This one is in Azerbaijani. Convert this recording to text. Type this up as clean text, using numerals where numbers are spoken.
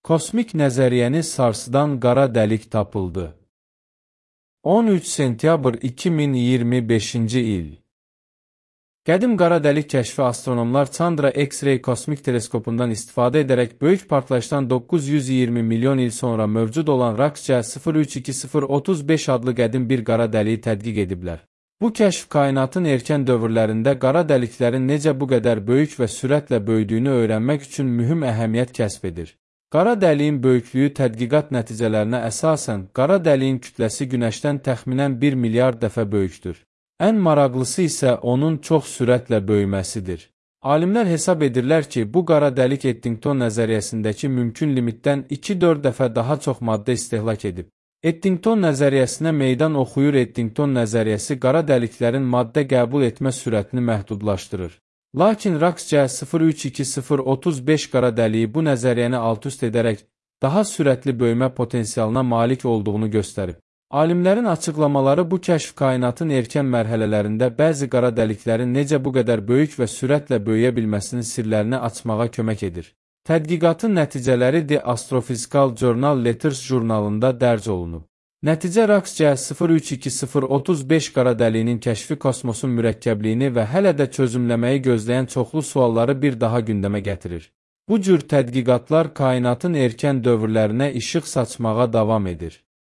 Kosmik nəzəriyyəni sarsıdan qara dəlik tapıldı. 13 sentyabr 2025-ci il. Qədim qara dəlik kəşfi astronomlar Chandra X-ray kosmik teleskopundan istifadə edərək böyük partlayışdan 920 milyon il sonra mövcud olan RAXJ 032035 adlı qədim bir qara dəliyi tədqiq ediblər. Bu kəşf kainatın erkən dövrlərində qara dəliklərin necə bu qədər böyük və sürətlə böyüdüyünü öyrənmək üçün mühüm əhəmiyyət kəsb edir. Qara dəliyin böyüklüyü tədqiqat nəticələrinə əsasən, qara dəliyin kütləsi Günəşdən təxminən 1 milyard dəfə böyükdür. Ən maraqlısı isə onun çox sürətlə böyüməsidir. Alimlər hesab edirlər ki, bu qara dəlik Eddington nəzəriyyəsindəki mümkün limitdən 2-4 dəfə daha çox maddə istehlak edib. Eddington nəzəriyyəsinə meydan oxuyur. Eddington nəzəriyyəsi qara dəliklərin maddə qəbul etmə sürətini məhdudlaşdırır. Lakin RAXJ 032035 qara dəliyi bu nəzəriyyəni alt-üst edərək daha sürətli böyümə potensialına malik olduğunu göstərib. Alimlərin açıqlamaları bu kəşf kainatın erkən mərhələlərində bəzi qara dəliklərin necə bu qədər böyük və sürətlə böyüyə bilməsinin sirlərini açmağa kömək edir. Tədqiqatın nəticələri The Astrophysical Journal Letters jurnalında dərc olunub. Nəticə RAXJ 032035 qara dəliyinin kəşfi kosmosun mürəkkəbliyini və hələ də çözümləməyi gözləyən çoxlu sualları bir daha gündəmə gətirir. Bu cür tədqiqatlar kainatın erkən dövrlərinə işıq saçmağa davam edir.